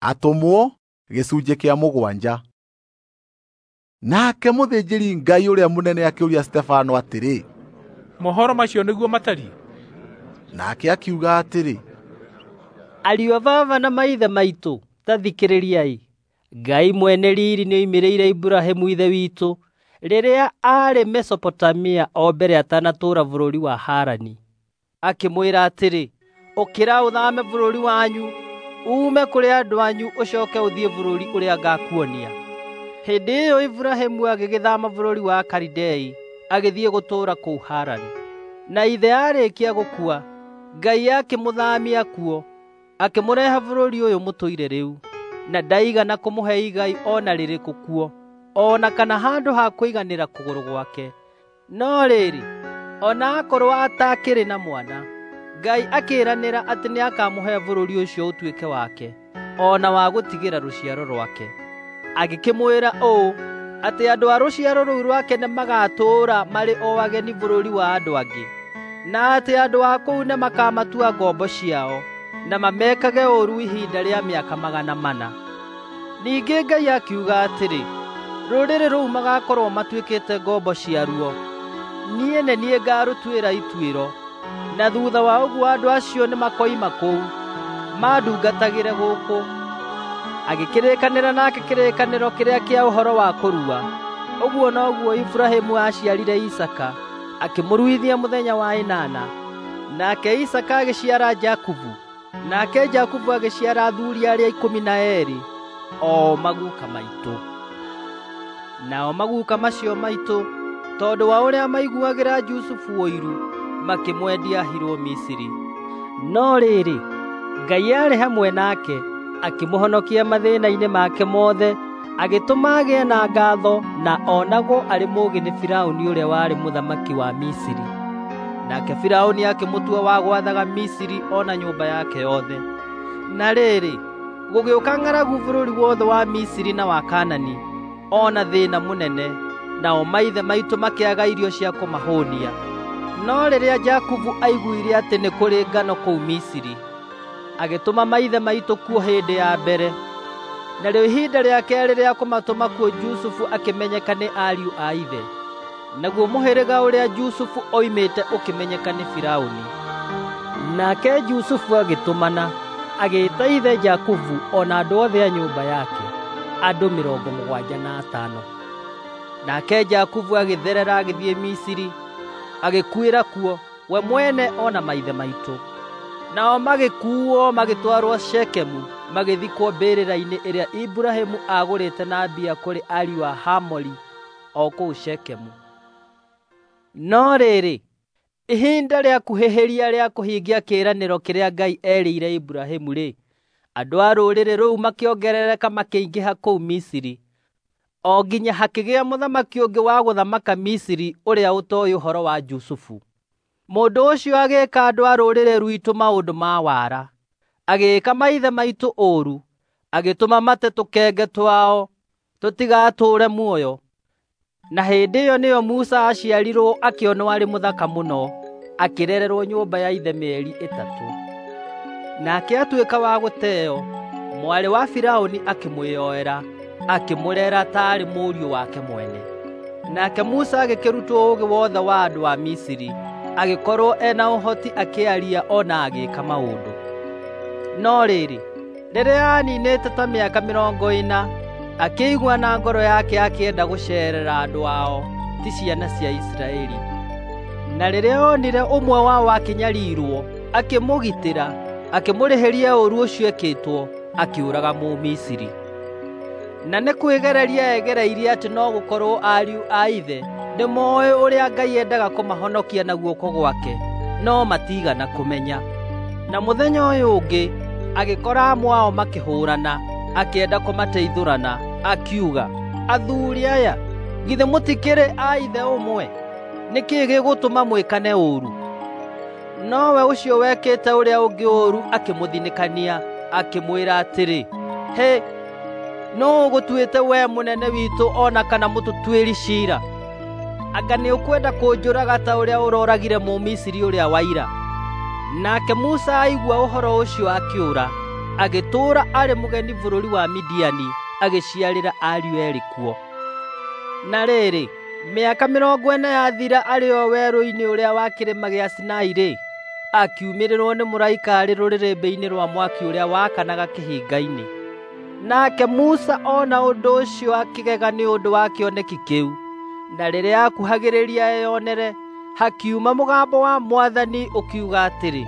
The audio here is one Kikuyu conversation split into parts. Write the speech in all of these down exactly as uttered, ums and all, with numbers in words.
Atũmwo gĩcunjĩ kĩa mũgwanja. Nake mũthĩnjĩri Ngai ũrĩa mũnene akĩũria Stefano atĩrĩ, mohoro macio nĩguo matariĩ? Nake akiuga atĩrĩ, Ariũ a baba na maithe maitũ, ta thikĩrĩriai. Ngai mwene riiri nĩoimĩrĩire Iburahĩmu ithe witũ rĩrĩa aarĩ Mesopotamia o mbere atanatũũra bũrũri wa Harani. Akĩmwĩra atĩrĩ, ũkĩra ũthame bũrũri wanyu, uume kũrĩ andũ anyu ũcoke ũthiĩ bũrũri ũrĩa ngakuonia. Hĩndĩ ĩyo Iburahĩmu agĩgĩthama bũrũri wa Kalidei agĩthiĩ gũtũũra kũu Harani. Na ithe aarĩkia gũkua, Ngai akĩmũthaamia kuo, akĩmũrehe bũrũri ũyũ mũtũire rĩu, na ndaigana kũmũhe igai o na rĩrĩkũ kuo, o na kana handũ ha kũiganĩra kũgũrũ gwake. No rĩrĩ, o na akorwo atakĩrĩ na mwana, Ngai akĩĩranĩra atĩ nĩakamũhe bũrũri ũcio ũtuĩke wake, o na wa gũtigĩra rũciaro rwake. Agĩkĩmwĩra ũũ, atĩ andũ a rũciaro rũu rwake nĩmagatũũra marĩ o ageni bũrũri wa andũ angĩ, na atĩ andũ a kũu nĩmakamatua ngombo ciao, na mamekage ũũru ihinda rĩa mĩaka magana mana. Ningĩ Ngai akiuga atĩrĩ, rũrĩrĩ rũu magakorwo matuĩkĩte ngombo ciaruo, niĩ nĩ niĩ ngarũtuĩra ituĩro, na thutha wa ũguo andũ acio nĩmakoima kũu, mandungatagĩre gũkũ. Agĩkĩrĩkanĩra nake kĩrĩkanĩro kĩrĩa kĩa ũhoro wa kũrua. Ũguo noguo Iburahĩmu aaciarire Isaaka, akĩmũruithia mũthenya wa ĩnana. Nake Isaaka agĩciara Jakubu, nake Jakubu agĩciara athuuri arĩa ikũmi na eerĩ, o maguka maitũ. Nao maguka macio maitũ, tondũ wa ũrĩa maiguagĩra Jusufu ũiru, makĩmwendia ahirwo Misiri. No rĩrĩ, Ngai aarĩ hamwe nake, akĩmũhonokia mathĩna-inĩ make mothe, agĩtũma agĩe na ngatho na onagwo arĩ mũũgĩ nĩ Firaũni ũrĩa warĩ mũthamaki wa Misiri. Nake Firaũni akĩmũtua wa gwathaga Misiri o na nyũmba yake yothe. Na rĩrĩ, gũgĩũka ng'aragu bũrũri wothe wa Misiri na wa Kaanani, o na thĩna mũnene, nao maithe maitũ makĩaga irio cia kũmahũũnia. No rĩrĩa Jakubu aiguire atĩ nĩ kũrĩ ngano kũu Misiri, agĩtũma maithe maitũ kuo hĩndĩ ya mbere. Narĩo ihinda rĩa keerĩ rĩa kũmatũma kuo Jusufu akĩmenyeka nĩ ariũ a ithe, naguo mũhĩrĩga ũrĩa Jusufu oimĩte ũkĩmenyeka nĩ Firaũni. Nake Jusufu agĩtũmana, agĩĩta ithe Jakubu o na andũ othe a nyũmba yake, andũ mĩrongo mũgwanja na atano. Nake Jakubu agĩtherera agĩthiĩ Misiri, agĩkuĩra kuo, we mwene o na maithe maitũ. Nao magĩkuuo magĩtwarwo Shekemu, magĩthikwo mbĩrĩra-inĩ ĩrĩa Iburahĩmu aagũrĩte na mbia kũrĩ ariũ a Hamori o kũu Shekemu. No rĩrĩ, ihinda rĩakuhĩhĩria rĩa kũhingia kĩĩranĩro kĩrĩa Ngai eerĩire Iburahĩmu-rĩ, andũ a rũrĩrĩ rũu makĩongerereka makĩingĩha kũu Misiri, o nginya hakĩgĩa mũthamaki ũngĩ wa gũthamaka Misiri ũrĩa ũtooĩ ũhoro wa Jusufu. Mũndũ ũcio agĩĩka andũ a rũrĩrĩ rwitũ maũndũ ma wara, agĩĩka maithe maitũ ũũru, agĩtũma mate tũkenge twao tũtigatũũre muoyo. Na hĩndĩ ĩyo nĩyo Musa aaciarirwo akĩonwo arĩ mũthaka mũno, akĩrererwo nyũmba ya ithe mĩeri ĩtatũ. Nake atuĩka wa gũteo, mwarĩ wa Firaũni akĩmwĩyoera, akĩmũrera taarĩ mũriũ wake mwene. Nake Musa agĩkĩrutwo ũũgĩ wothe wa andũ a Misiri, agĩkorwo ena ũhoti akĩaria o na agĩĩka maũndũ. No rĩrĩ, rĩrĩa aaninĩte ta mĩaka mĩrongo ĩna, akĩigua na ngoro yake akĩenda gũceerera andũ ao, ti ciana cia Isiraeli. Na rĩrĩa onire ũmwe wao akĩnyariirwo, akĩmũgitĩra, akĩmũrĩhĩria ũũru ũcio ekĩtwo, akĩũraga Mũmisiri. Na nĩ kwĩgereria egereirie atĩ no gũkorwo ariũ a ithe nĩmooĩ ũrĩa Ngai endaga kũmahonokia na guoko gwake, no matiigana kũmenya. Na mũthenya ũyũ ũngĩ agĩkora amwe ao makĩhũũrana, akĩenda kũmateithũrana, akiuga, "Athuuri aya, githĩ mũtikĩrĩ a ithe ũmwe? Nĩ kĩĩ gĩgũtũma mwĩkane ũũru?" Nowe ũcio wekĩte ũrĩa ũngĩ ũũru akĩmũthinĩkania, akĩmwĩra atĩrĩ, "Hĩ, nũũ ũgũtuĩte wee mũnene witũ o na kana mũtũtuĩri ciira? Anga nĩũkwenda kũnjũraga ta ũrĩa ũrooragire Mũmisiri ũrĩa wa ira?" Nake Musa aigua ũhoro ũcio akĩũra, Agĩtũũra arĩ mũgeni bũrũri wa Midiani, agĩciarĩra ariũ eerĩ kuo. Na rĩrĩ, mĩaka mĩrongo ĩna yathira arĩ o werũ-inĩ ũrĩa wa kĩrĩma gĩa Sinai-rĩ, akiumĩrĩrwo nĩ mũraika arĩ rũrĩrĩmbĩ-inĩ rwa mwaki ũrĩa wakanaga kĩhinga-inĩ. Nake Musa ona ũndũ ũcio akĩgega nĩ ũndũ wa kĩoneki kĩu. Na rĩrĩa akuhagĩrĩria eyonere, hakiuma mũgambo wa Mwathani ũkiuga atĩrĩ,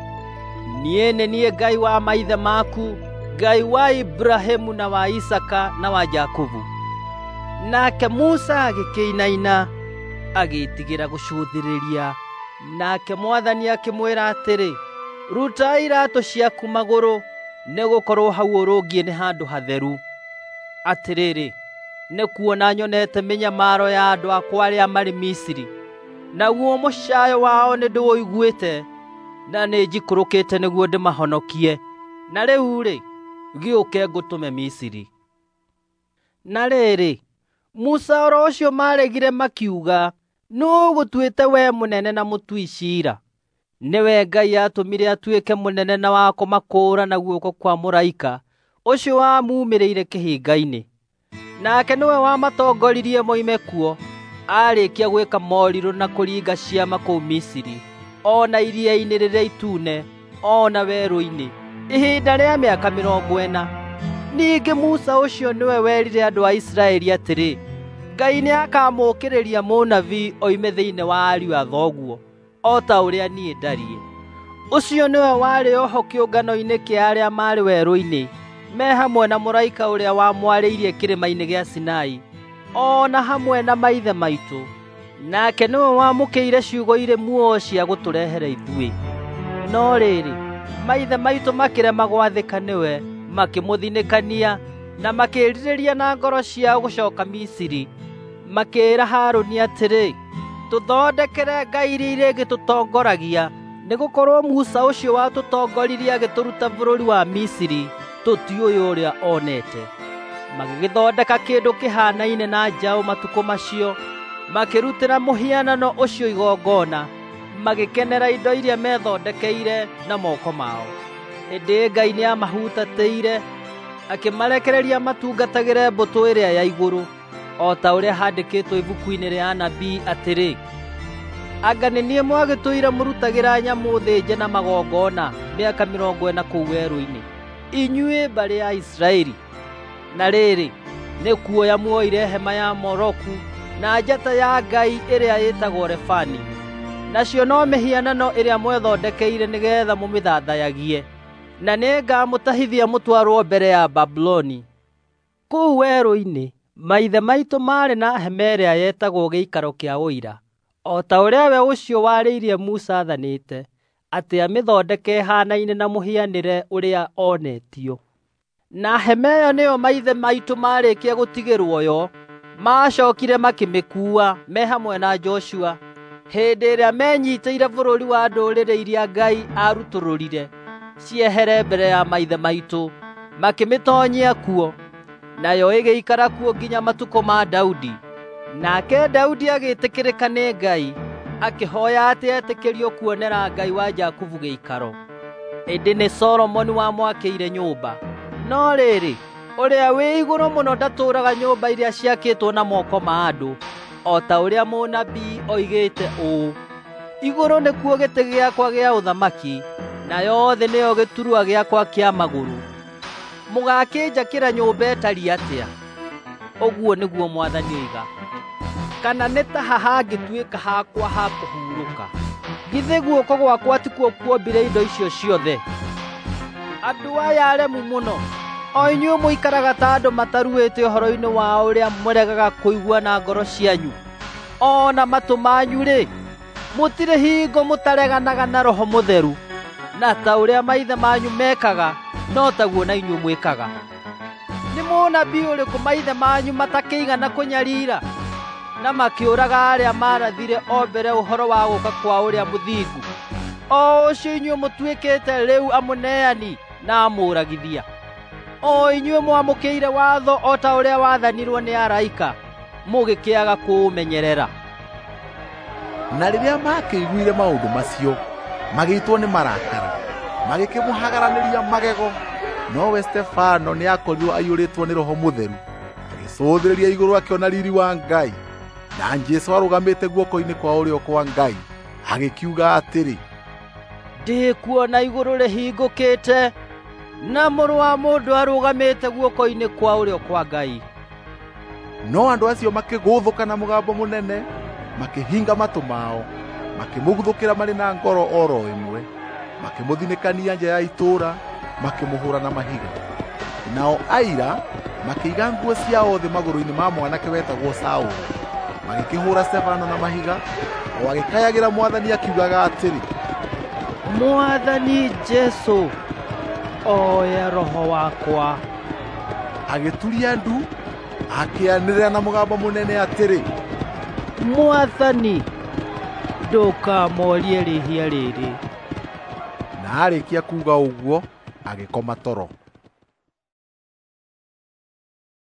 Niĩ nĩ niĩ Ngai wa maithe maku, Ngai wa Ibrahimu na wa Isaka na wa Jakubu. Nake Musa agĩkĩinaina, agĩĩtigĩra gũcũthĩrĩria. Nake Mwathani akĩmwĩra atĩrĩ, Ruta iraatũ ciaku magũrũ, nĩgũkorwo hau ũrũngiĩ nĩ handũ hatheru. Atĩrĩrĩ, nĩkuona nyonete mĩnyamaro ya andũ akwa arĩa marĩ Misiri, naguo mũcayo wao nĩndĩũiguĩte, na nĩnjikũrũkĩte nĩguo ndĩmahonokie. Na rĩu-rĩ, gĩũke ngũtũme Misiri. Na rĩrĩ, Musa oro ũcio maregire makiuga, nũũ ũgũtuĩte we mũnene na mũtui ciira? Nĩwe Ngai atũmire atuĩke mũnene na wa kũmakũũra na guoko kwa mũraika ũcio wamumĩrĩire kĩhinga-inĩ. Nake nĩwe wamatongoririe moime kuo, aarĩkia gwĩka morirũ na kũringa ciama kũu Misiri, o na iria-inĩ rĩrĩa itune, o na werũ-inĩ, ihinda rĩa mĩaka mĩrongo ĩna. Ningĩ Musa ũcio nĩwe werire andũ a Isiraeli atĩrĩ, Ngai nĩakamũũkĩrĩria mũnabii oime thĩinĩ wa ariũ a thoguo, o ta ũrĩa niĩ ndariĩ. Ũcio nĩwe warĩ oho kĩũngano-inĩ kĩa arĩa maarĩ werũ-inĩ, me hamwe na mũraika ũrĩa wamwarĩirie kĩrĩma-inĩ gĩa Sinai, o na hamwe na maithe maitũ. Nake nĩwe wamũkĩire ciugo irĩ muoyo cia gũtũrehere ithuĩ. No rĩrĩ, maithe maitũ makĩrema gwathĩka nĩwe, makĩmũthinĩkania na makĩĩrirĩria na ngoro ciao gũcoka Misiri. Makĩĩra Harũni atĩrĩ, Tũthondekere ngai iria irĩgĩtũtongoragia, nĩgũkorwo Musa ũcio watũtongoririe agĩtũruta bũrũri wa Misiri, tũtiũĩ ũrĩa onete. Magĩgĩthondeka kĩndũ kĩhaanaine na njaũ matukũ macio, makĩrutĩra mũhianano ũcio igongona, magĩkenera indo iria methondekeire na moko mao. Ĩndĩ Ngai nĩamahutatĩire, akĩmarekereria matungatagĩre mbũtũ ĩrĩa ya igũrũ, o ta ũrĩa handĩkĩtwo ibuku-inĩ rĩa anabii atĩrĩ, Anga nĩ niĩ mwagĩtũire mũrutagĩra nyamũ thĩnje na magongona mĩaka mĩrongo ĩna kũu werũ-inĩ, inyuĩ mbarĩ ya Isiraeli. Na rĩrĩ, nĩ kuoya muoire hema ya Moloku na njata ya ngai ĩrĩa ĩtagwo Refani, nacio no mĩhianano ĩrĩa mwethondekeire nĩgeetha mũmĩthathayagie. Na nĩngamũtahithia mũtwarwo mbere ya Babuloni. Kũu werũ-inĩ maithe maitũ maarĩ na hema ĩrĩa yetagwo gĩikaro kĩa ũira, o ta ũrĩa we ũcio warĩirie Musa aathanĩte, atĩ amĩthondeke ĩhaanaine na mũhianĩre ũrĩa onetio. Na hema ĩyo nĩyo maithe maitũ marĩkia gũtigĩrwo yo, macookire makĩmĩkuua me hamwe na Joshua hĩndĩ ĩrĩa menyiitĩire bũrũri wa ndũrĩrĩ iria Ngai aarutũrũrire ciehere mbere ya maithe maitũ, makĩmĩtoonyia kuo. Nayo ĩgĩikara kuo nginya matukũ ma Daudi. Nake Daudi agĩĩtĩkĩrĩka nĩ Ngai, akĩhooya atĩ etĩkĩrio kuonera Ngai wa Jakubu gĩikaro. Ĩndĩ nĩ Solomoni wamwakĩire nyũmba. No rĩrĩ, ũrĩa wĩ igũrũ mũno ndatũũraga nyũmba iria ciakĩtwo na moko ma andũ, o ta ũrĩa mũnabii oigĩte ũũ, Igũrũ nĩkuo gĩtĩ gĩakwa gĩa ũthamaki, nayo thĩ nĩyo gĩturwa gĩakwa kĩa magũrũ. Mũgakĩnjakĩra nyũmba ĩtariĩ atĩa? Ũguo nĩguo Mwathani oiga. Kana nĩ ta ha hangĩtuĩka hakwa ha kũhurũka? Githĩ guoko gwakwa tikuo kuombire indo icio ciothe? Andũ aya aremu mũno, o inyuĩ mũikaraga ta andũ mataruĩte ũhoro-inĩ wa ũrĩa mũregaga kũigua na ngoro cianyu, o na matũ manyu-rĩ, mũtirĩ hingo mũtareganaga na Roho Mũtheru, na ta ũrĩa maithe manyu mekaga, no taguo na inyuĩ mwĩkaga. Nĩ mũnabii ũrĩkũ maithe manyu matakĩigana kũnyarira, na makĩũraga arĩa maarathire o mbere ũhoro wa gũũka kwa ũrĩa mũthingu, o ũcio inyuĩ mũtuĩkĩte rĩu amũneani na amũũragithia. O inyuĩ mwamũkĩire watho o ta ũrĩa wathanirwo nĩ araika, mũgĩkĩaga kũũmenyerera. Na rĩrĩa maakĩiguire maũndũ macio, magĩitwo nĩ marakara, magĩkĩmũhagaranĩria magego. Nowe Stefano nĩ aakorirwo aiyũrĩtwo nĩ Roho Mũtheru, agĩcũthĩrĩria igũrũ akĩona riiri wa Ngai, na Jesũ arũgamĩte guoko-inĩ kwa ũrĩo kwa Ngai, agĩkiuga atĩrĩ, Ndĩkuona igũrũ rĩhingũkĩte, na Mũrũ wa Mũndũ arũgamĩte guoko-inĩ kwa ũrĩo kwa Ngai. No andũ acio makĩgũthũka na mũgambo mũnene, makĩhinga matũ mao, makĩmũguthũkĩra marĩ na ngoro oro ĩmwe, makĩmũthinĩkania nja ya itũũra, makĩmũhũũra na mahiga. Nao aira makĩiga nguo ciao thĩ magũrũ-inĩ ma mwanake wetagwo Saũlũ, magĩkĩhũũra Stefano na mahiga, o agĩkayagĩra Mwathani akiugaga atĩrĩ, Mwathani Jesũ, oya roho wakwa. Agĩturia ndu, akĩanĩrĩra na mũgambo mũnene atĩrĩ, Mwathani, ndũkamorie rĩhia rĩrĩ. Na aarĩkia kuuga ũguo, agĩkoma toro.